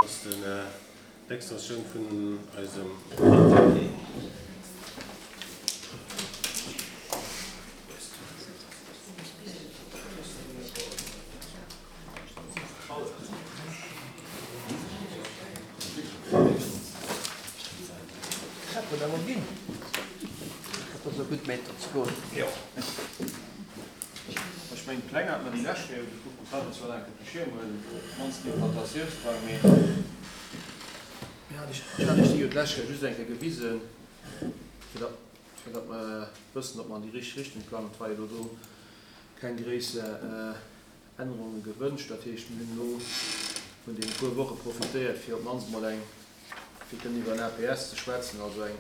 Ass d'Extensioun vun eisem Atelier. Dat huet awer ginn. Dat ass e gutt Meter ze goen. Jo. Ech mengen d'Pläng hat mer déi lescht Kéier gekuckt, do hat mer zwar nach enke de Schierm huelen, d'mannst d'Implantatiounsplang, mee Jo, ech hat iech déi jo d'lescht Kéier just eng Kéier gewisen, fir datt, fir datt mer wëssen, ob mer an déi richteg Richtung plangen. Et war jo elo do keng gréisser Ännerunge gewënscht. Dat heescht, mir hunn elo vun deene puer Woche profitéiert, fir op d'mannst emol eng, fir kënnen iwwer en APS ze schwätzen, also eng,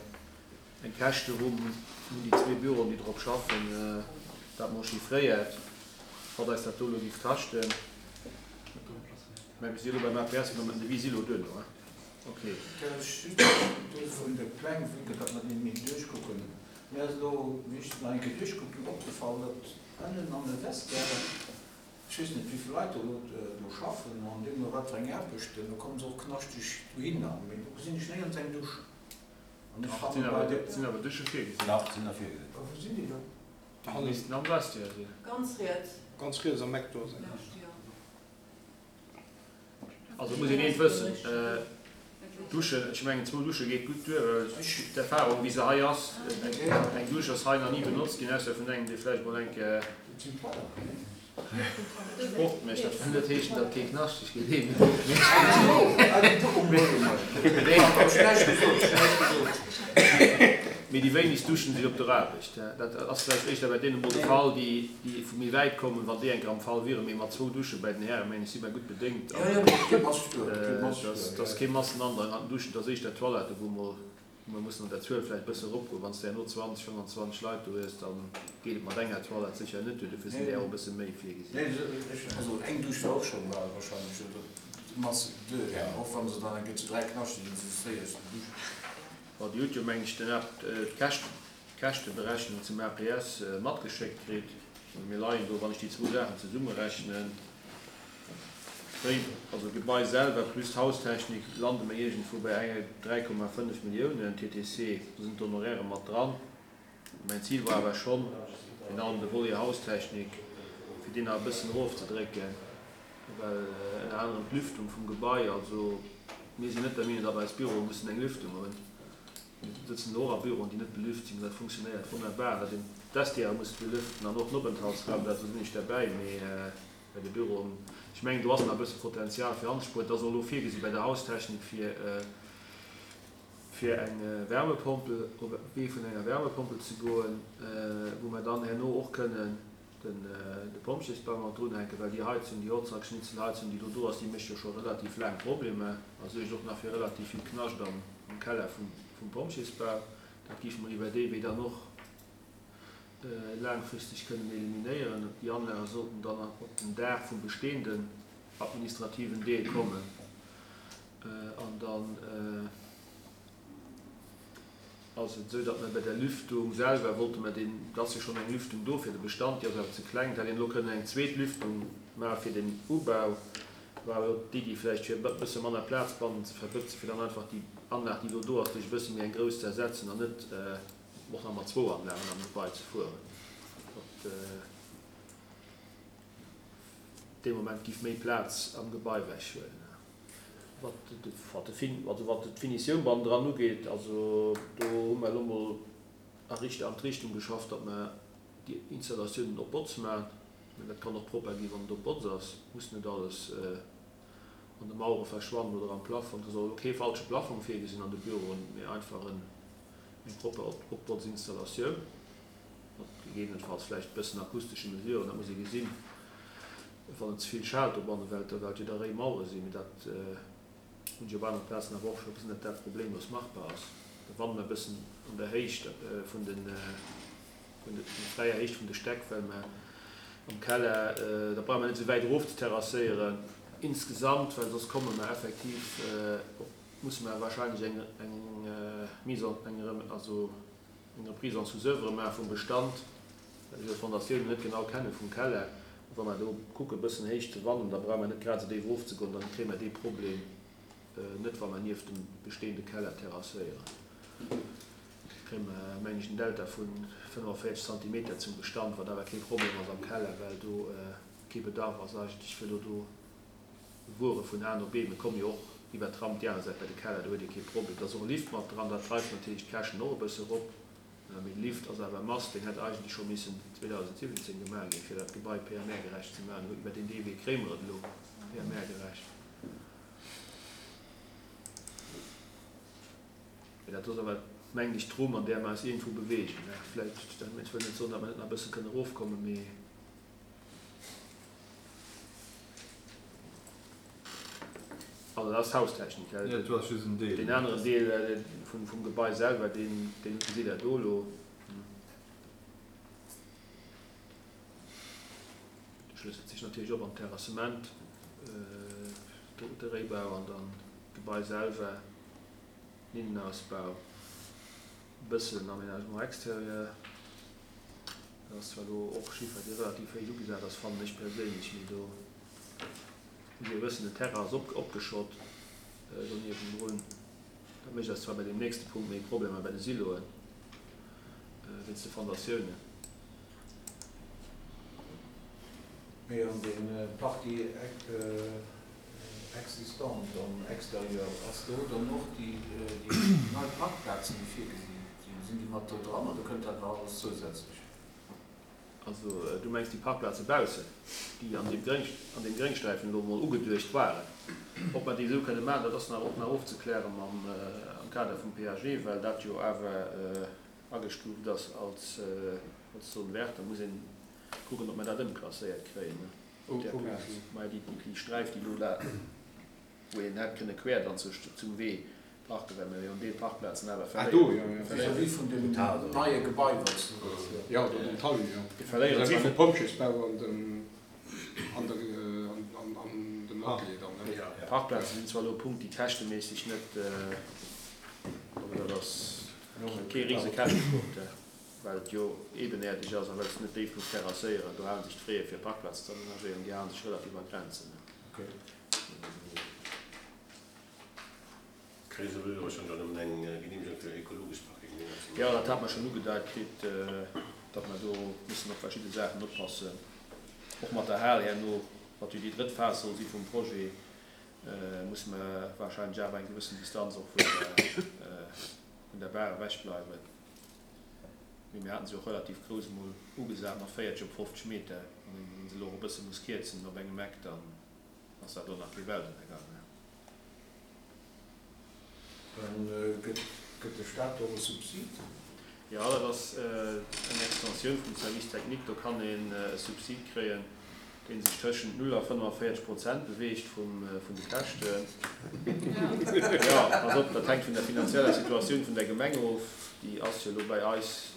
Eng Käschterumm hunn déi zwee Büroen, déi drop schaffen, dat mol chiffréiert, wat eis dat do elo géif kaschten. Mä mir si elo beim APS, mä den Devis si elo duerno, hein? Ok. Kann ech just do vun de Pläng, vue que datt mer déi méi duerchkucken, mir ass elo, wéi ech se nach eng Kéier duerchkuckt hunn, opgefall, datt ënnen an de Vestiairen, ech weess net wéivill Leit do elo do schaffen an deemno wat fir eng Aarbechten, do komme se och knaschteg dohinner, mee do gesinn ech néierens eng Dusch. Dach, sinn awer Dusche virgesinn. Dach, sinn der virgesinn. A wou sinn déi dann? Déi missten am Vestiaire sinn. Ganz riets. Ganz riets am Eck do sinn. Also et muss een eent wëssen, Duschen, ech mengen zwou Dusche geet gutt duer, well d'Erfahrung wéi se hei ass, eng Dusch ass hei nach ni benotzt ginn, ausser vun engem dee vläicht mol eng Kéier Sport mécht. Dat wëll net heeschen, datt kee knaschteg geet, ee mee déi wéinegst duschen sech op der Aarbecht. Dat ass vläicht éischter bei deene mol de Fall, déi vu méi wäit kommen, wann déi eng Kéier am Fall wieren. Mee mat zwou Dusche bei den Hären, mengen ech, si mer gutt bedéngt. Et ass kee Massenandrang an den Duschen, et ass éischter d'Toilette, wou mol Mer mussen an der Zuel vläicht e bësse eropgoen. Wann s de herno 20, 25 Leit do hues, da geet et mat enger Toilette sécher net duer. Dofir sinn där och e bësse méi virgesinn. Nee, also eng Dusch wär och scho warscheinlech d'Mass duer gaangen, och wa se dann eng Kéier zu 3 knaschteg sinn, se fréier aus der Dusch. Bon, Dir hutt jo, meng ech, den d'Käschteberechnung zum APS matgeschéckt kritt. Mir leien do, wann ech déi zwou Saachen zesummerechnen, Wéi, also d'Gebai selwer plus d'Haustechnik, lande mer iergendwou bei enge 3,5 Milliounen TTC. Do sinn d'Honoraire mat dran. Mäin Zil war awer schonn, virun allem de Volet Haustechnik, fir deen nach e bëssen erofzedrécken, well ënner anerem d'Lüftung vum Gebai, also mir sinn net der Meenung, datt eis Büroe mussen eng Lüftung hunn. Mir sëtzen elo och a Büroen, déi net belüft sinn, dat funktionéiert wonnerbar. Datt een d'Vestiaire muss belüften an och den Openthaltsraum, dat do sinn ech derbäi, mee bei de Büroen, ech mengen, do ass nach e bësse Potenzial fir anzespueren. Et ass och elo virgesi bei der Haustechnik, fir fir eng Wärmepompel, op e Wee vun enger Wärmepompel ze goen, wou mer dann herno och kënnen de Pompjeesbau mat drunhänken, well déi Heizung, déi Holzhackschnitzelheizung, déi do do ass, déi mécht jo scho relativ laang Problemer a suergt och nach fir relativ vill Knascht am Keller vum Pompjeesbau. Dat géife mer iwwer dee Wee dann och laangfristeg kënnen eliminéieren. Déi Anlage sollten dann op den Daach vum bestehenden administrativen Deel kommen an dann, Ass et esou, datt mer bei der Lüftung selwer wollte mer deen, et ass jo schonn eng Lüftung do fir de Bestand, déi ass awer ze kleng, et hätt een elo kënnen eng zweet Lüftung maache fir den Ubau, war awer och d'Iddi vläicht fir e bësse manner Plaz bannen ze verbëtzen, fir dann einfach déi Anlag, déi elo do ass, duerch e bësse méi eng grouss ze ersetzen an net och nach mat zwou Anlagen am Gebai ze fueren, wat dee Moment giff méi Plaz am Gebai ewechhuelen. Wat d'Finitioun bannendran ugeet, also do hu mer elo mol a an d'Richtung geschafft, datt mer déi Installatiounen op Botz maachen. Mä dat kann och propper ginn, wann et op Botz ass. Et muss net alles an de Mauere verschwannen oder am Plafong. Et ass och elo kee falsche Plafong virgesinn an de Büroen, mee einfach eng propper Opbotzinstallatioun mat gegebenenfalls vläicht e bëssen akustesche Mesuren. Dat muss ee gesinn. Wann et ze vill schaalt dobannen, well et jo da réi Mauere sinn, mee dat hunn ech op anere Plazen awer och scho gesinn, datt dat problemlos machbar ass. Da wanne mer e bëssen an der Héicht vun den, vun der fräier Héicht vun de Stäck, well mer am Keller, da brauche mer net esou wäit erof ze terrasséieren insgesamt, well soss komme mer effektiv op, musse mer wahrscheinlech eng, eng Mise en, eng, also eng Reprise en sous-oeuvre maache vum Bestand. Well ech jo d'Fondatiounen net genau kenne vum Keller, wa mer do kucke bëssen héich ze wannen, da brauche mer net grad esou déif erofzegoen, dann kréie mer dee Problem. Net wa mer nieft dem bestehende Keller terrasséieren. Kréie mer, meng ech, en Delta vu 45 Zentimeter zum Bestand, wat awer kee Problem ass am Keller, well do kee Bedarf ass eigentlech fir elo do Wuere vun A no B. Mir komme jo och iwwert d'Ramp déi aner Säit bei de Keller, do huet ee kee Problem. Et ass och e Lift mat dran, dat dreift natierlech d'Käschten och e bësse erop. Mee de Lift ass awer e Must, deen hätt eigentlech scho missen 2017 gemaach ginn, fir dat Gebai PMR-gerecht ze maachen. Iwwer deen dee Wee kréie mer et elo PMR-gerecht. Mee dat ass awer, mengen ech, d'Rumm, an där mer eis iergendwou beweegen. Vläicht, ech wëll net soen, datt mer net nach e bësse kënne erofkommen, mee. Also dat ass d'Haustechnik. Jo, dat ass just en Deel. Deen aneren Deel vum Gebai selwer, deen gesitt Der do elo. De schlësselt sech natierlech op am Terrassement, de Réibau an dann d'Gebai selwer, den Innenausbau, e bëssen Aménagement extérieur. Dat ass zwar elo och Chiffer, dee relativ héich ugesat ass, fannen ech perséinlech, mee do muss ee wëssen, den Terrain ass opgeschott do niewendrun. Dat mécht eis zwar bei deem nächste Punkt méi Problemer bei de Siloen, wéinst de Fondatiounen. Mee an dee Partie existant am Exterieur, ass do dann och déi nei Parkplazen, déi virgesi sinn, sinn déi mat do dran oder kënnt dat nach alles zousätzlech? Also du mengs déi Parkplaze baussen, déi an deem Gréng, an deem Gréngsträifen elo emol ugeduecht waren. Ob mer déi esou kënne maachen, dat ass nach och nach ofzekläre mam, am Kader vum PAG, well dat jo awer agestuuft ass als, als Zone verte. Da muss een kucken, ob mer dat ëmklasséiert kréien op där Plaz. Maja, déi, déi Sträif, déi elo la, wou een hätt kënne quer dann zur, zum Wee parken, well mer jo en Deel Parkplazen awer Ah, do, jo, jo. Vis-à-vis vun deem neie Gebai, wat s du. Jo, do den Talus, jo. Mir verléieren zwar net. Vis-à-vis vum Pompjeesbau an dem, an der, an, an dem Atelier dann, ne? Jo. Parkplaze sinn zwar elo e Punkt, déi käschteméisseg net, also dat ass kee rise Käschtepunkt, well et jo ebeneerdeg ass a well s de net déif muss terrasséieren. Do hale sech d'Fraie fir Parkplazen ze amenagéieren, déi hale sech relativ a Grenzen. Kréie se elo schonn dann nëmmen eng Genehmegung fir ekologesch Parking? Jo, dat hat mer schonn ugedeit kritt, datt mer do mussen op verschidde Saachen oppassen, och mat der Hal herno, wat jo déi drëtt Phas soll si vum Projet, musse mer wahrscheinlech awer eng gewëssen Distanz och vun der, vun der Bar ewech bleiwen. Mee mir haten se och relativ grouss emol ugesat, mat 40 op 50 Meter. Wann een se elo och e bësse muss kierzen op engem Eck, dann ass dat och nach kee Weltennergang. Dann gëtt de Staat och e Subsid? Jo, dat ass eng Extensioun vum Service technique. Do kann een e Subsid kréien, dee sech tëschent 0 a 45 Prozent beweegt vun de Käschten. Jo, pass op, dat hänkt vun der finanzieller Situatioun vun der Gemeng of. Déi ass jo elo bei eis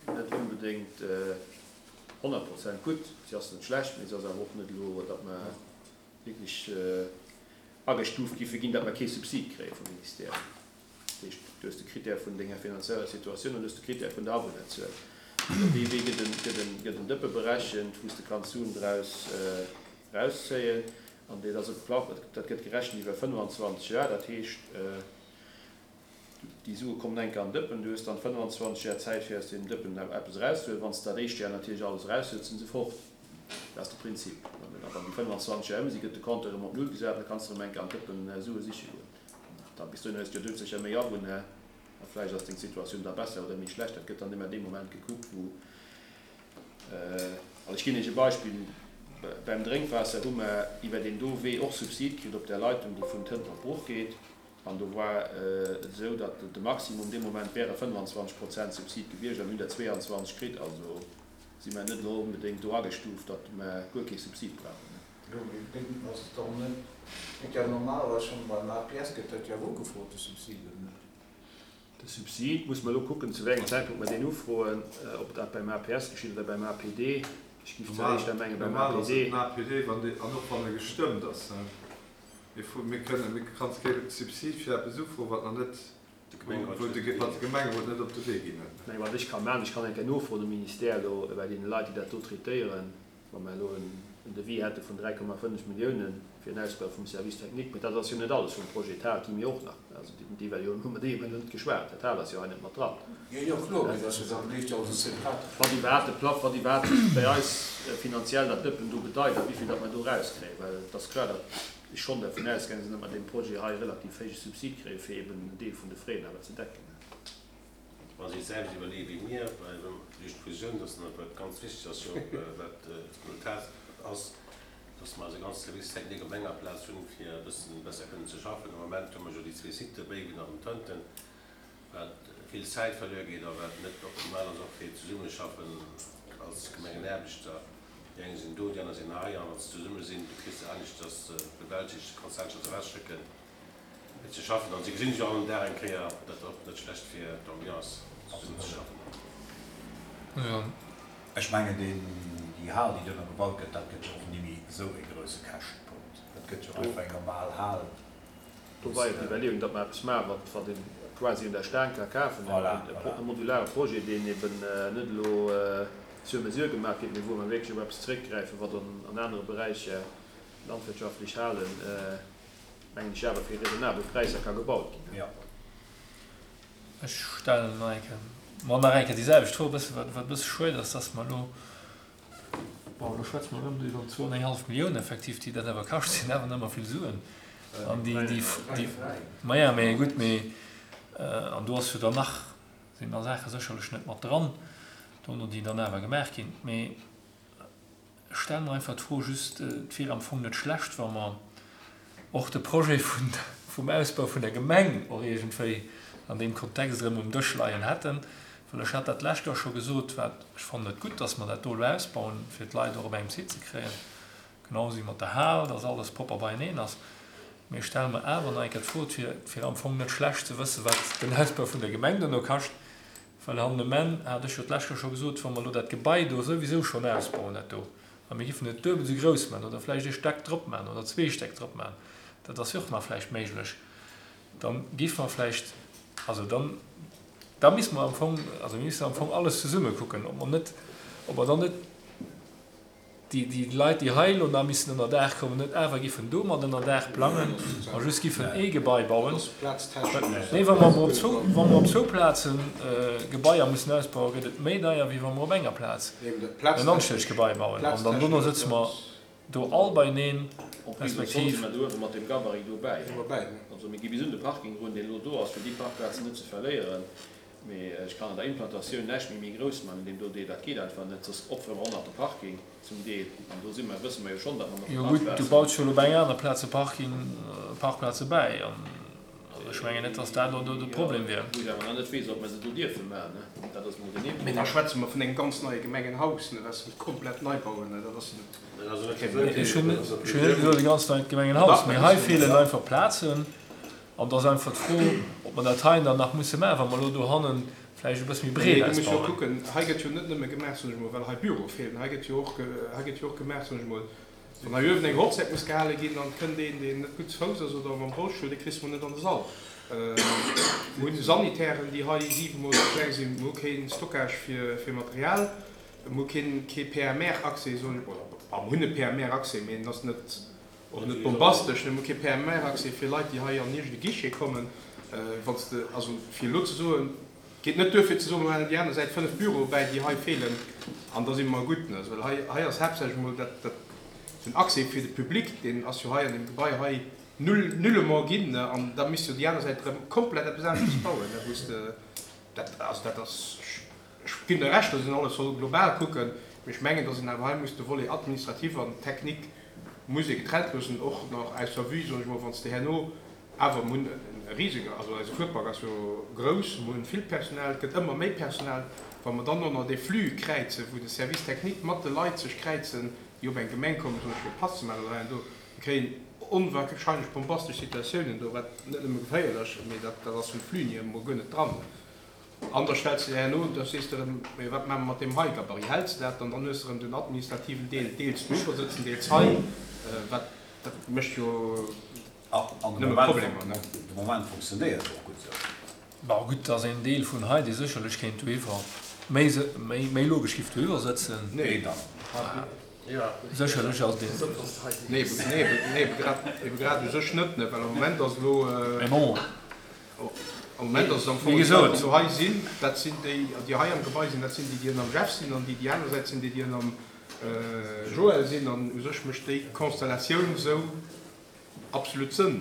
net onbedéngt 100 Prozent gutt. Si ass net schlecht, mee se ass awer och net elo, datt mer wierklech agestuuft giffe ginn, datt mer kee Subsid kréie vum Ministère. Dat heescht, du hues de Critère vun denger finanzieller Situatioun an du hues de Critère vun der Awunnerzuel. An op dee Wee gëtt en, gëtt en, gëtt en Dëppe berechent, wou s de kanns Suen draus erauszéien. An dat ass e Pla, dat gëtt gerechent iwwer 25 Joer. Dat heescht, déi Sue kommen eng Kéier an Dëppen, du hues dann 25 Joer Zäit fir aus deem Dëppen eppes erauszehuelen. Wann s de dat éischt Joer natierlech alles eraushuels, sinn se fort. Dat ass de Prinzip. A wann déi 25 Joer ëm sinn, gëtt de Compteur erëm op Null gesat an da kanns de erëm eng Kéier an d'Dëppen Sue siche goen. Da bis dohin hues de jo doudsécher méi Awunner a vläicht ass deng Situatioun da besser oder méi schlecht. Dat gëtt dann ëmmer dee Moment gekuckt, wou, also ech ginn Iech e Beispill, Beim Drénkwaasser hu mer iwwer deen do Wee och Subsid kritt op där Leitung, déi vun Tënter op Bruch geet. An do war et esou, datt de Maximum dee Moment wäre 25 Prozent Subsid gewiescht a mir hunn der 22 kritt. Also si mer net elo onbedéngt do agestuuft, datt mer guer kee Subsid brauchen. Jo, mee deen ass dann net, gëtt ja normalerweis schonn beim APS gëtt dat jo ugefrot, de Subsid, oder net? De Subsid muss mer elo kucken, zu wéi engem Zäitpunkt mer deen ufroen, ob dat beim APS geschitt oder beim APD. Ech géif zwar éischter menge beim Normal ass et den APD, wann dee, an och wann e gestëmmt ass. Mir fro, mir kënnen, mir kanns kee Subsid fir eppes ufroen, wat nach net, wou de, wat de Gemengerot net op de Wee ginn huet. Mä wat ech ka maachen, ech kann eng Kéier nofroen um Ministère elo bei deene Leit, déi dat do traitéieren, wa mer elo en. en Devis hätte vun 3,5 Milliounen fir en Ausbau vum Service technique. Mee dat ass jo net alles vum Projet. D'Hal gi mir och nach, also d'Iwwerleeung hu mer déi ebe net geschwat, dat Hal ass jo hei net mat dran. Jo, jo, kloer, mee dat ass jo dann, leeft jo alles separat. Wat iwwerhaapt de Plafond, wat iwwerhaapt bei eis finanziell dat Dëppen do bedeit a wéivill datt mer do erauskréien. Well et ass kloer, datt ech schonn dervun ausgaange sinn, datt mer deem Projet hei e relativ héije Subsid kréie fir eben en Deel vun de Frais awer ze decken. Wa si et selwecht iwwerleeë wéi mir, well duerch d'Fusioun, dass dann wat ganz wichteg ass jo och, wat d'Resultat ass, dass mer eise ganze Service technique op enger Plaz hunn, fir e bëssen besser kënnen ze schaffen. Am Moment hu mer jo déi zwee Sitë, Béiwen an Tënten, wat vill Zäit verluer geet a wat net optimal ass och fir d'Zesummeschaffen als Gemengenaarbechter. Déi eng sinn do, déi aner sinn hei, a wann se zesumme sinn, du kriss se aneschters bewältegt, kanns se aneschters ewechschécken. Fir ze schaffen an si gesinn sech och all Dag eng Kéier, dat ass och net schlecht fir d'Ambiance zesummen ze schaffen. Ech mengen deen, déi Hal déi duerno gebaut gëtt, dat gëtt jo och nimmi esou e grousse Käschtepunkt. Dat gëtt jo einfach eng normal Hal. Do war jo d'Iwwerleeung, datt mer eppes maachen, wat wat een quasi un der Staang ka kafen, e modulare Projet, deen eben net elo sur mesure gemaach gëtt, mee wou mer wierklech op eppes zeréckgräifen, wat an anere Beräicher, landwirtschaftlech Halen, mengen ech, awer fir raisonnabel Präisser ka gebaut ginn. Jo. Ech stellen nach eng Kéier, ma nach eng Kéier déi selwecht Fro, e bësse wat e bësse schued ass, dass mer elo, bon, elo schwätze mer erëm iwwer zwou an eng hallef Millioun effektiv, déi dat awer kascht, sinn awer nach ëmmer vill Suen. An déi, déi, déi, maja, mä gutt, mee an do ass jo dann nach, sinn nach Saache sécherlech net mat dran dono, déi dann awer gemaach ginn. Mee Ech stelle mer einfach d'Fro just, et wier am Fong net schlecht, wa mer och de Projet vum Ausbau vun der Gemeng och iergendwéi an deem Kontext erëm um Dësch leien hätten. Well ech hat dat d'lescht Joer scho gesot, wat ech fannen et gutt, dass mer dat do elo ausbauen, fir d'Leit och op engem Site ze kréien, genau esou wéi mat der Hal, dass alles propper beieneen ass. Mee ech stelle mer awer nach eng Kéier d'Fro, et wier, et wier am Fong net schlecht ze wëssen, wat den Ausbau vun der Gemeng duerno kascht, Well hannen um Enn, hat ech jo d'lescht Joer scho gesot, wa mer elo dat Gebai do souwisou schonn ausbauen, dat do, a mir giffen et duebel esou grouss maachen oder vläicht ee Stack drop maachen oder zwee Stäck drop maachen, dat ass jo och nach vläicht méiglech, da giffe mer vläicht, also dann, da misste mer am Fong, also mir missten am Fong alles zesumme kucken, ob mer net, ob mer dann net, déi Leit, déi hei elo nach missen ënner Daach kommen, net awer giffen do mat ënner Daach plangen a just giffen ee Gebai bauen. Nee, wa mer op zwou, wa mer op zwou Plaze Gebaier mussen ausbauen, gëtt et méi deier, wéi wa mer op enger Plaz en anstännegt Gebai bauen. An dann dono sëtze mer do all beieneen, En plus, soll se mer do uewe mat deem Gabarit dobäi. Also mir gi bis un de Parking erun, deen elo do ass, fir déi Parkplazen net ze verléieren. Mee ech kann an der Implantatioun näischt méi méi grouss man an deem do Deel. Dat geet einfach net, soss opfere mer och nach de Parking zum Deel. An do si mer, wësse mer jo schonn, datt mer nach Jo gutt, du Parkplazen. baus jo elo op enger aner Plaz e Parking, Parkplaze bäi. An also ech mengen net, datt dat elo do de Problem wier. Wou ech awer nach net weess, ob mer se do dierfe man, ne. Dat ass mol den ee Mee da Problem. schwätze mer vun engem ganz neie Gemengenhaus, ne, wat se komplett nei bauen, ne. Dat ass jo net. Dat ass net gewënnt. Ech hunn ech hunn net gesot e ganz neit Gemengenhaus, mee hei feelen einfach Plazen. An et ass einfach d'Fro, ob mer dat hei dann nach musse maachen, wa mer elo dohanne vläicht e bësse méi breet Nee, du muss jo ausbauen. kucken, hei gëtt jo net nëmme gemaach, soen ech emol, well hei Büroe feelen. Hei gëtt jo och, hei gëtt jo och gemaach, soen ech emol, wann hei uewen eng Hochzäit muss gehale ginn an et kënnt een, deen net gutt ze Fouss ass oder mam Rollstull, dee kriss de mol net an de Sall. Mir hunn Sanitären, déi hei siwemol ze kleng sinn. Mir hu kee Stockage fir, fir Material. Mir hu keen, kee PMR-Accès, soen ech mol. Bon, mir hunn e PMR-Accès, mee en ass net, Och net bombastesch, ne? Mir hu kee PMR-Accès fir Leit, déi hei an iergend e Guichet kommen. Wann s de, also fir elo ze soen, et geet net duer fir ze soen, mir maachen déi aner Säit 5 Büroe bäi, déi hei feelen, an da si mer gutt, ne? Well hei, hei ass haaptsächlech emol dat, dat, den Accès fir de Public, deen ass jo hei an deem Gebai hei null, nullement ginn, ne? An da misst jo déi aner Säit erëm komplett eppes aneschters bauen, ne, wou s de dat, also dat ass, Ech ginn der Recht, datt een alles soll global kucken, mee ech mengen, datt een awer hei muss de Volet administratif an technique muss ee getrennt loossen, och nach aus der Vue, soen ech mol, wann s de herno awer, mir hunn e risege, also eise Fuerpark ass jo grouss, mir hunn vill Personal, et gëtt ëmmer méi Personal, wa mer dann och nach dee Flux kräizen, wou de Service technique mat de Leit sech kräizen, déi op eng Gemeng kommen, soen ech, fir e Pass ze maachen oder hei an do, mir kréien onwahrscheinlech bombastesch Situatiounen do, wat net nëmme geféierlech, mee dat ass vum Flux hier emol guer net dran. An da stells de der herno, da sees de erëm, Mee wat maache mer mat deem hei Gabarit? Häls de dat dann? Dann hues de erëm den administrativen Deel deels do sëtzen, deels hei. Wat, dat mécht jo nëmme Problemer, ne? De Moment funktionéiert et och gutt esou. Bon, gutt, et ass een Deel vun hei, dee sécherlech kéint dohiwwer, méi, méi logesch giff dohiwwer sëtzen. Nee, dann. Sécherlech ass deen. Nee, nee, ebe grad, ebe grad u sech net, ne, well am Moment ass elo. Mee bon. Am Moment ass et am Fong déi Leit, déi elo hei sinn, dat sinn déi, déi hei am Gebai sinn, dat sinn déi, déi ënnerm Jeff sinn, an déi, déi aner Säit sinn déi, déi ënnerm Joël sinn. An u sech mécht déi Konstellatioun esou absolut Sënn.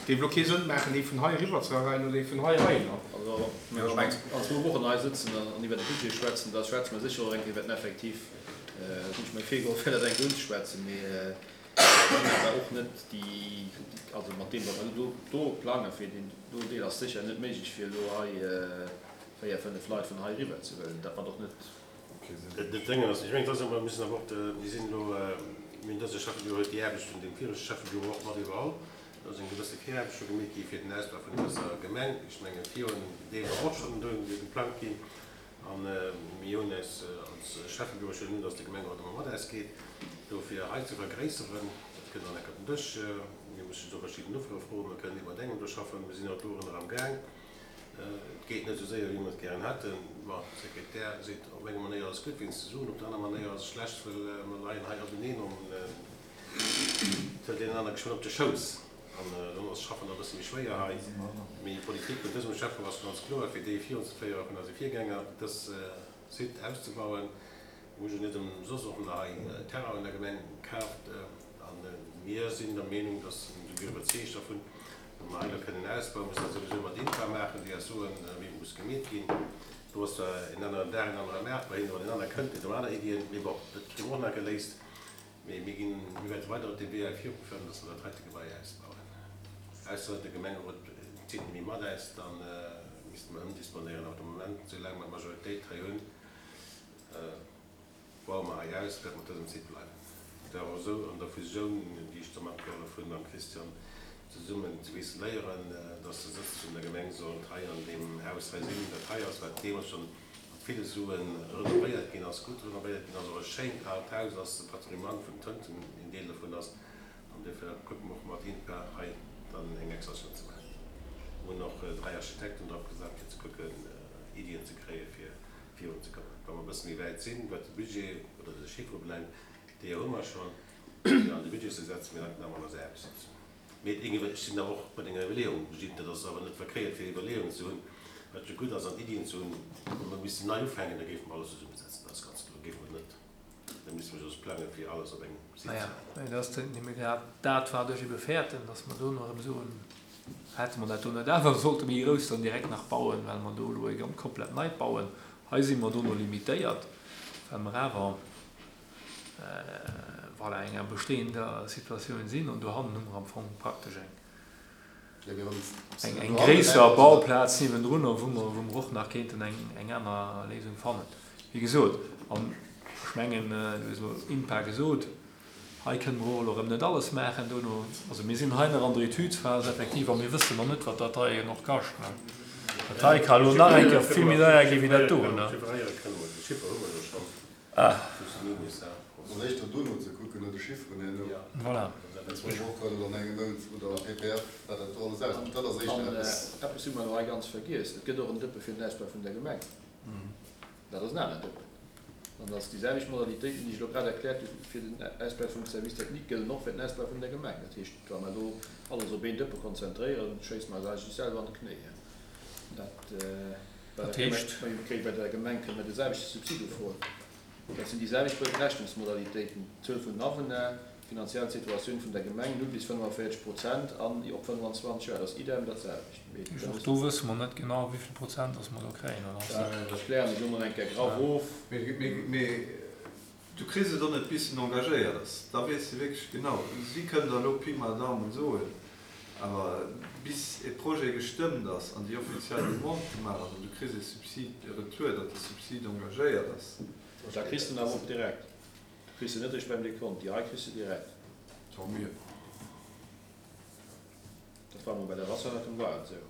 Et géif elo kee Sënn maachen, ee vun hei eriwwer ze reien oder ee vun hei heihinner. Also, wa mer an zwou Wochen hei sëtzen an iwwer de Budget schwätzen, da schwätze mer sécher och eng Kéier iwwer den Effektiv. Dat hunn ech mir virgeholl, fir dat eng Kéier unzeschwätzen. Mee ech hunn awer och net déi, also mat deem, wat mer elo do plange fir deen do Deel, ass sécher net méiglech, fir elo hei véier, fënnef Leit vun hei eriwwer ze huelen. Dat mat och net. Dat Déngen ass, ech mengen, et ass awer, mir müssen awer och, mir sinn elo, mir hunn dëse Schäffebüro huet déi Aarbecht vun deem viregte Schäffebüro och mat iwwerholl. Do ass eng gewësse Viraarbecht scho gemeet gi fir den Ausbau vun dëser Gemeng. Ech mengen, virun deem war och schonn do geplangt ginn. A mir hunn eis als Schäffebüro, ech huelen un, datt de Gemengerot ëmmer mat eis geet, do fir hei ze vergréisseren. Dat kënnt dann enk op den Dësch. Mir mussen do verschidden Offere froen. Mir kënnen iwwert engem do schaffen. Mir sinn och dorunner am Gaang. Et geet net esou séier, wéi mer et gären hätten. Bon, de Sekretär seet, op enger Manéier ass et gutt, wéinst de Suen, op der aner Manéier ass et schlecht, well mer leien hei openeen an et hëlt een en aner geschwënn op de Schouss. An dann ass d'Schaffen och e bësse méi schwéier hei. Mee d'Politik vun dësem Schäfferot ass ganz kloer, fir déi virunzeféiere vun eise Virgänger, dës Site auszebauen. Mir hu jo net ëmsoss och nach hei Terrain an der Gemeng kaaft. A mir sinn der Meenung, dass, si mir iwwerzeegt dervun, wa mer hei elo kënnen ausbauen, musse mer dat souwisou mat INPA maachen, déi eis soen, wéi et muss gemeet ginn. Do ass zwar en aneren Dag, en anere Maart bei hinnen, wann en aner kënnt, huet en aner Iddien. Mee bon, dat kréie mer och nach geléist. Mee mir ginn, mir wäerte weider op deem Wee hei virufueren, dass mer dat heite Gebai ausbauen. Ausser de Gemengerot zitt net méi mat äis, da misste mer ëmdisponéieren. Awer de Moment, soulaang mer d'Majoritéit hei hunn, baue mer hei aus, wäerte mer op dësem Site bleiwen. Et war och esou an der Fusioun, déi ech da matgehollef hunn mam Christian zesummen ze wiceléieren, dass de Sëtz vun der Gemeng sollt hei an deem Haus hei sinn, dat hei ass, wat deemools schonn mat ville Suen renovéiert ginn ass, gutt renovéiert ginn ass, och e schéint aalt Haus ass, de Patrimoine vun Tënten een Deel dovun ass. An duerfir kucke mer och mat INPA hei dann eng Extensioun ze maachen. Mir hunn och 3 Architekten drop gesat, fir ze kucken, Iddien ze kréien, fir virunzekommen. Wa mer e bësse méi wäit sinn, wat de Budget oder de Chiffre ubelaangt, déi hu mer schonn, fir an de Budget ze setzen, mee dann nach an eis Aarbecht setzen. Mee ech sinn awer och bei denger Iwwerleeung, Gilles, dat ass awer net verkéiert fir Iwwerleeungen ze hunn, wat jo gutt ass, an Iddien ze hunn. Wa mer missten nei ufänken, da géife mer alles zesummesetzen, dat ass ganz kloer, géife mer net, da misste mer just plangen, fir alles op engem Site ze Naja, mä dat ass nëmme grad dat, wat ech ebe fäerten, datt mer dono erëm soen, hätte mer dat do net awer sollte méi grouss dann direkt nach bauen, well mer do elo e ganz komplett neit bauen. Hei si mer dono limitéiert, well mer awer, voilà, enger bestehender Situatioun sinn an dohannen hu mer am Fong praktesch eng, eng gréisser Bauplaz niewendrunner, wou mer, wou mer och nach kéinten eng, eng aner Léisung fannen. Wéi gesot, an ech mengen, du hues elo INPA gesot, hei kënne mer och elo erëm net alles maachen dono. Also mir sinn hei nach an der Etüdphas effektiv a mir wëssen nach net, wat dat hei och kascht. Dat hei ka elo nach eng Kéier vill méi deier gi wéi dat do. Ah. Ass éischter dono ze kucken, no de Chifferen herno. Voilà. Dat ass éischter eppes. Eppes hu mer elo hei ganz vergiess, Et gëtt och en Dëppe fir den Ausbau vun der Gemeng. Dat ass en anert Dëppen. An dass déi selwecht Modalitéiten, déi ech elo grad erkläert hu fir den Ausbau vum Service technique, gëllen och fir den Ausbau vun der Gemeng. Dat heescht, wa mer elo alles op een Dëppe konzentréieren, schéisse mer eis eigentlech selwer an de Knéi. Dat. Dat heescht. Bei der Gemeng kënne mer de selwechte Subsid ufroen. Dat sinn déi selwecht Berechnungsmodalitéiten, d'Zuel vun den Awunner, d'finanziell Situatioun vun der Gemeng, 0 bis 45 Prozent an op 25 Joer. Dat ass idem dat selwecht. Mee dat Och do wësse mer net genau, wéi vill Prozent dass mer do kréien, oder? Dat klären ech elo mol eng Kéier graff of. Mee du kriss et och net bis en engagéiert ass. Da weess de wierklech genau. Si kënnen der elo Pi mal Daumen soen, Awer bis e Projet gestëmmt ass an déi offiziell Demande gemaach ass an du kriss e Subsid, e Retour, datt de Subsid engagéiert ass. Da kriss de en awer och direkt. Du kriss en net eréischt beim Dekont. Déi hei kriss de direkt. Tant mieux. Dat war emol bei der Wasserrettung war et esou.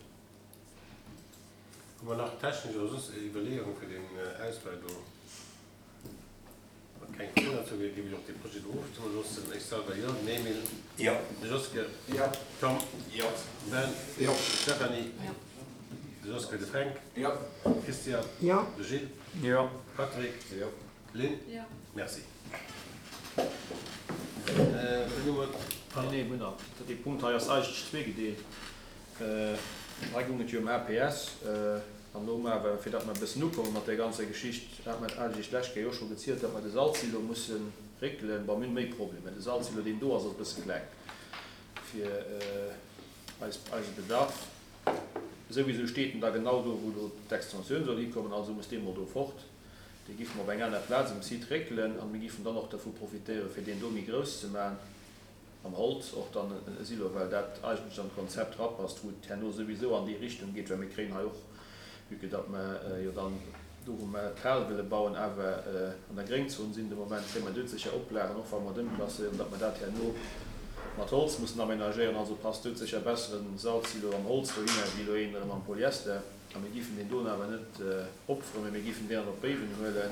Hu mer nach technesch oder soss Iwwerleeungen fir deen Ausbau do? Wann keng Froen dozou ginn, géif ech och dee Projet do ofstëmme loossen. Ech selwer jo. Den Emile? Jo. De Joske? Jo. Tom? Jo. Ben? Jo. D'Stéphanie? Jo. De Joske? De Fränk? Jo. Christian? Jo. De Gilles? Jo. Patrick? Jo. Lynn? Jo. Merci. Nee, nee, mir hunn nach. Dee Punkt hei ass eigentlech zweegedeelt. Hei goung et jo ëm APS. An elo hu mer awer, fir datt mer e bëssen ukomme mat där ganzer Geschicht, hat mer eigentlech d'lescht Kéier jo scho gezielt, datt mer de Salzsilo musse réckelen. Bon, mir hunn méi Problemer. De Salzsilo, deen do ass, ass e bësse kleng fir eis, eise Bedarf. Souwisou steet en da genau do, wou elo d'Extensioun soll hikommen. Also muss dee mol do fort. Dee giff mer op eng aner Plaz um Site réckelen an mir giffen dann och dervu profitéieren, fir deen do méi grouss ze maachen, am Holz och dann e Silo, well dat eigentlech an d'Konzept rapasst, wou et herno souwisou an déi Richtung geet, well mir kréien hei och, vue que datt mer jo dann do, wou mer d'Hal wëlle bauen, awer an der Gréngzon sinn de Moment, kréie mer doudsécher Oplagen, och wa mer et ëmklasséieren, datt mer dat herno mat Holz mussen aménagéieren. Also passt doudsécher besser en Salzsilo am Holz dohinner wéi elo een erëm am Polyester. A mir giffen deen doen awer net opferen, mee mir giffen deen an op Béiwen huelen.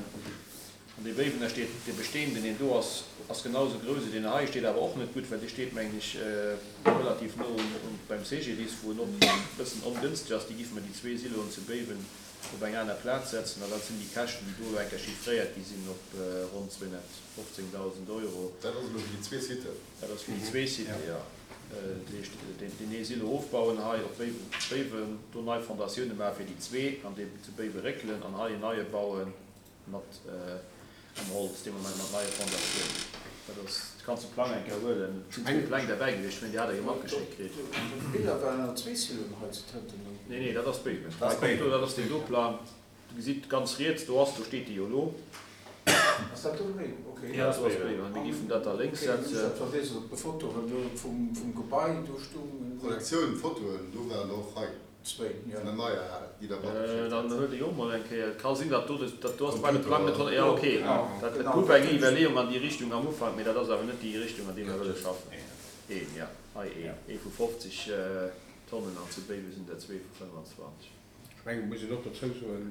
An dee Béiwener steet, dee bestehenden, deen do ass, ass genau esou grouss ewéi deen hei, steet awer och net gutt, well dee steet, mengen ech, relativ no un beim CGDIS, wou en och e bëssen ongënschteg ass. Déi giffe mer déi zwee Siloen zu Béiwen op eng aner Plaz setzen. An dat sinn déi Käschten, déi do elo eng Kéier chiffréiert gi sinn op ronn 215.000 Euro. Dat ass elo fir déi zwee Siten? Dat ass fir déi zwee Siten, jo. Dat heescht, deen ee Silo ofbauen hei op Béiwen, do nei Fondatioune maache fir déi zwee an dee zu Béiwe réckelen an hei en neie baue mat am Holz, dee Moment mat neie Fondatiounen. Dat ass, du kanns de Plang eng Kéier huelen, et sinn zwee Pläng derbäi gewiescht, ech mengen, déi hat Der jo matgeschéckt kritt. Op de Biller waren awer zwee Siloen hei zu Tënten. Nee, nee, dat ass Béiwen. Hei kommt do, dat ass deen do Plang. Du gesitt ganz riets, do ass, do steet déi jo elo. Ass dat do méi? Ok. Jo, do ass méi. Mir giffen dat da lénks setzen. Ok, hunn ech dat verwiesselt op de Fotoen do vum Gebai, do stoungen. Projektioun, Fotoen, do waren der och hei. Zwéin, jo. Vun der neier Hal, déi der matgeschéckt hat. Dann huelt e jo och mol eng Kéier. Et ka sinn, datt do, dat do ass bei de Plang net honner, jo, ok. Dat et gouf eng Iwwerleeung an déi Richtung am Ufank, mee dat ass awer net déi Richtung, an déi mir wëlle schaffen. Een, jo, hei een, ee vu 50 Tonnen an zu Béiwe sinn der zwee vu 25. Ech mengen, et muss een och dozou soen,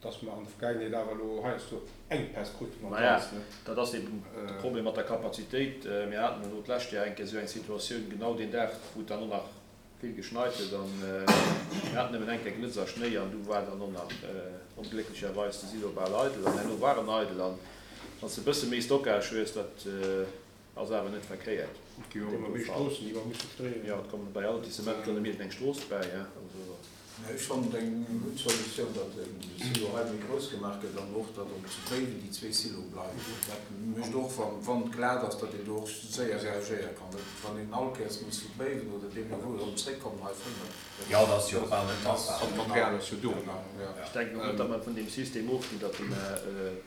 dass mer an der Vergaangenheet awer elo heiansdo Enkpäss kruten am Maja, Ganzen. dat ass eben de Problem mat der Kapazitéit. Mir haten elo d'lescht Joer eng Kéier esou eng Situatioun, genau deen Dag, wou et dann och nach vill geschneit huet an mir haten nëmmen eng Kéier Glëtz a Schnéi an du war dann och nach onglécklecherweis de Silo bal eidel an herno war en eidel. An wann s de e bësse méi Stockage hues, dat Ass awer net verkéiert. Et gi jo och ëmmer méi Stroossen, déi mer musse streeën. Jo, et kommen bei all Lotissement kënnt iergend eng Strooss bäi, he, also. Ech fannen et eng gutt Solutioun, datt de Silo hei méi grouss gemaach gëtt an och, datt op zu Béiwen déi zwee Siloe bleiwen. Dat mécht och, wann et glat ass, datt een do och séier reagéiere kann. Dat, wann een all Kéiers muss vu Béiwen oder deemno wou erëm zréckkommen hei fënnt. Jo, dat ass jo och bal net machbar. An d'Material ass jo do. Ech denken och net, datt mer vun deem System ofginn, datt mer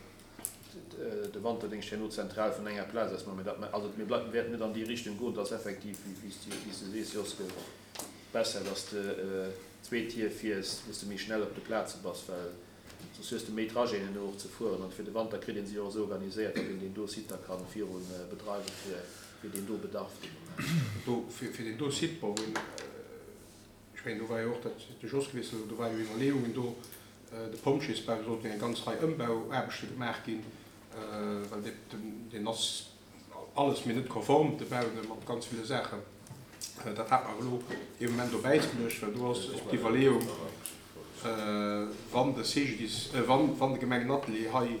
de Wanterdéngscht herno zentral vun enger Plaz aus maachen, mä datt mer, also mir bleiwen, wäerten net an déi Richtung goen, dass effektiv, wéi s de sees, Joske, besser, dass de zwee Tier fiers, wou s de méi schnell op de Plaze bass, well soss hues de méi Trajeten herno och ze fueren. An fir de Wanter kritt ee se jo och esou organiséiert, datt een deen do Site da ka viru bedreiwe fir deen do Bedarf dee Moment. Do, fir deen do Site, bon, wou een, Ech mengen, do war jo och dat, de Jos gewiesselt, do ware jo Iwwerleeungen do, de Pompjeesbau, do sollten eng ganz Rei Ëmbauaarbechte gemaach ginn, well deen ass alles mee net konform, de Bau, mat ganz ville Saachen. Dat hat mer awer elo ee Moment op Äis geluecht, well do ass och d'Iwwerleeung, wann de CGDIS, wann de Gemengenatelier hei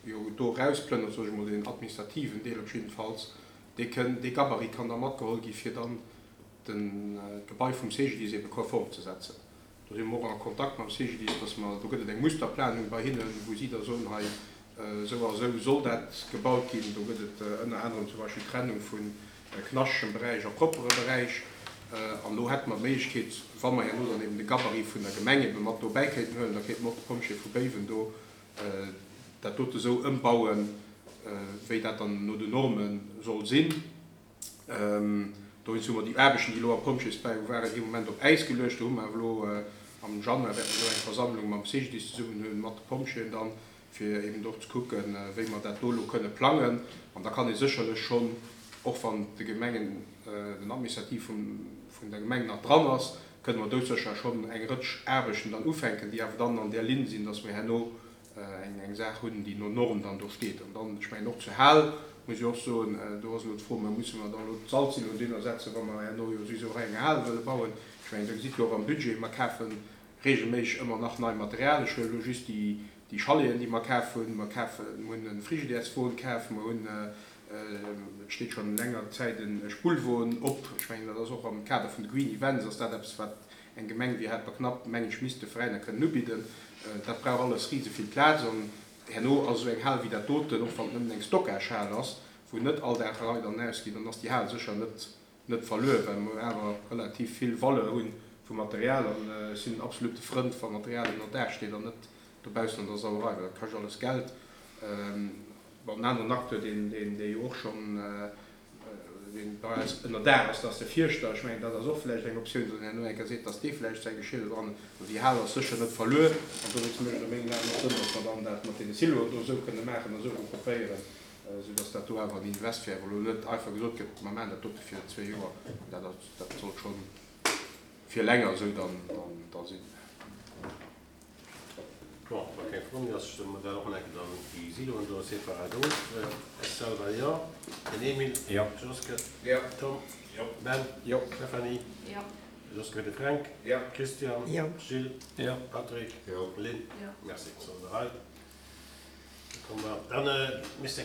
jo do erausplënnert, soe ech emol, deen administrativen Deel op jiddefalls, dee kënn, dee Gabarit kann da matgeholl gi fir dann d'Gebai vum CGDIS ebe konform ze setzen. Do si mer och a Kontakt mam CGDIS, dass mer, do gëtt et eng Musterplanung bei hinnen, wou si da soen, hei esou a esou soll dat gebaut ginn. Do gëtt et ënner anerem zum Beispill d'Trennung vu knaschegem Beräich a proppere Beräich. An do hätte mer d'Méiglechkeet, wa mer herno dann eben de Gabarit vun der Gemeng ebe mat dobäi kéinten huelen, da kéinte mer och de Pompjee vu Béiwen do dat dote esou ëmbauen, wéi dat dann no den Norme soll sinn. Dowéinst hu mer déi Aarbechten, déi elo am Pompjeesbau waren, ee Moment op Äis geluecht. Do hu mer awer elo am Januar wäerte mer do eng Versammlung mam CGDIS zesummen hunn, mat de Pompjeeën dann, fir eben och ze kucken, wéi mer dat do elo kënne plangen. An da kann ee sécherlech schonn, och wann de Gemengen, den Administrativ vun der Gemeng nach dran ass, kënne mer doudsécher schonn eng Rëtsch Aarbechten dann ufänken, déi awer dann an där Linn sinn, dass mer herno eng Saach hunn, déi no Norm dann do steet. An dann, ech mengen och zur Hal muss ech och soen, do ass elo d'Fro, mä musse mer da elo d'Salzsiloen dohinner setzen, wa mer herno jo souwisou hei eng Hal wëlle bauen? Ech mengen, Der gesitt jo och am Budget, mer kafe regelméisseg ëmmer nach nei Material. Ech huelen elo just déi Chaleten, déi mer kaf hunn. Mer kafen, mer hunn e Frigidaireswon kaf, mer hunn. Et steet schonn länger Zäit e Spullwon op. Ech mengen, dat ass och am Kader vun de Green Events ass dat eppes, wat eng Gemeng wéi Helperknapp, mengen ech, misst de Veräiner kënnen ubidden. Dat brauch alles rise vill Plaz. An herno ass esou eng Hal wéi dat doten, och wann et nëmmen eng Stockagehal ass, wou net all Dag Leit an ausginn, dann ass déi Hal sécher net net verluer, well mer awer relativ vill Valeur hu vu Material. An ech sinn en absolute Frënd, wa Material ënner Daach steet an net dobaussen an der Sauerei, well dat kascht alles Geld. Bon, en aneren Acteur, deen, deen, dee jo och schonn, deen bei eis ënner Daach ass, dat ass de Fierschter. Ech mengen, dat ass och vläicht eng Optioun, datt een herno eng Kéier seet, datt dee vläicht säi Geschir do dran huet. Mä déi Hal ass sécher net verluer. An dowéinst mécht et a mengen Aen och Sënn, datt mer dann dat mat deene Siloen do esou kënne maachen a esou regroupéieren, esou datt dat do awer en Invest wär, wou elo net einfach gesot gëtt, mer maachen dat dote fir zwee Joer. Dat ass, dat sollt scho fir länger esou dann, dann, da sinn. Bon, wa keng Fro méi ass, stëmme mer dat och nach eng Kéier dann déi Siloen do separat of. Ech selwer jo. Den Emile? Jo. Joske? Jo. Tom? Jo. Ben? Jo. Stéphanie? Jo. Joske fir de Fränk? Jo. Christian? Jo. Gilles? Jo. Patrick? Jo. Lynn? Jo. Merci. Soll der hei. Da komme mer. Dann misst eng.